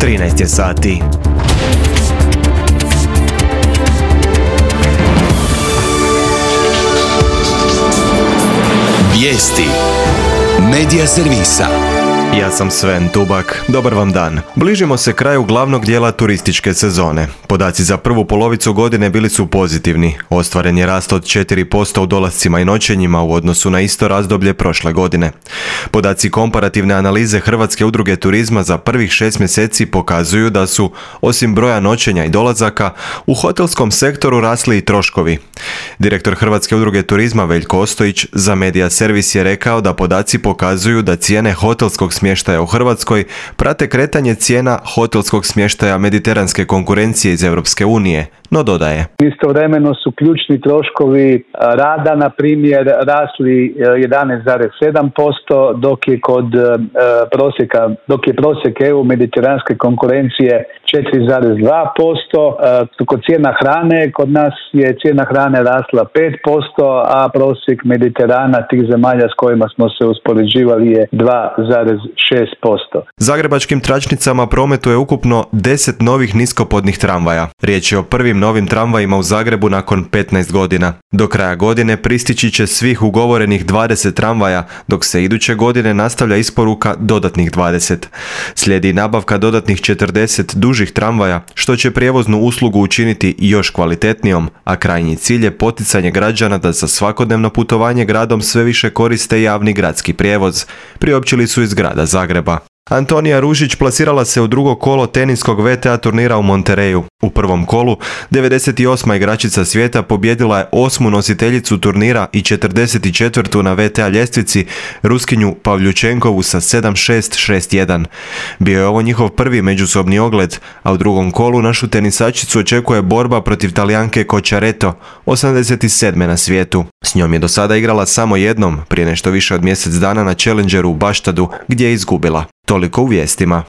13 je sati. Vijesti Medija servisa. Ja sam Sven Tubak, dobar vam dan. Bližimo se kraju glavnog dijela turističke sezone. Podaci za prvu polovicu godine bili su pozitivni. Ostvaren je rast od 4% u dolascima i noćenjima u odnosu na isto razdoblje prošle godine. Podaci komparativne analize Hrvatske udruge turizma za prvih 6 mjeseci pokazuju da su, osim broja noćenja i dolazaka, u hotelskom sektoru rasli i troškovi. Direktor Hrvatske udruge turizma Veljko Ostojić za Medija servis je rekao da podaci pokazuju da cijene hotelskog smještaja u Hrvatskoj prate kretanje cijena hotelskog smještaja mediteranske konkurencije iz Europske unije, no dodaje. Istovremeno su ključni troškovi rada, na primjer, rasli 11,7%, dok je prosjek EU mediteranske konkurencije 4,2%. Kod cijena hrane, kod nas je cijena hrane rasla 5%, a prosjek Mediterana, tih zemalja s kojima smo se uspoređivali, je 2,6%. Zagrebačkim tračnicama prometuje ukupno 10 novih niskopodnih tramvaja. Riječ je o prvim novim tramvajima u Zagrebu nakon 15 godina. Do kraja godine pristići će svih ugovorenih 20 tramvaja, dok se iduće godine nastavlja isporuka dodatnih 20. Slijedi nabavka dodatnih 40 dužih tramvaja, što će prijevoznu uslugu učiniti još kvalitetnijom, a krajnji cilj je poticanje građana da za svakodnevno putovanje gradom sve više koriste javni gradski prijevoz, priopćili su iz grada Zagreba. Antonija Ružić plasirala se u drugo kolo teniskog VTA turnira u Monterreyu. U prvom kolu 98. igračica svijeta pobijedila je 8. nositeljicu turnira i 44. na VTA ljestvici Ruskinju Pavljučenkovu sa 7-6, 6-1. Bio je ovo njihov prvi međusobni ogled, a u drugom kolu našu tenisačicu očekuje borba protiv Talijanke Cocciaretto, 87. na svijetu. S njom je do sada igrala samo jednom, prije nešto više od mjesec dana na Challengeru u Baštadu, gdje je izgubila. Toliko u vijestima.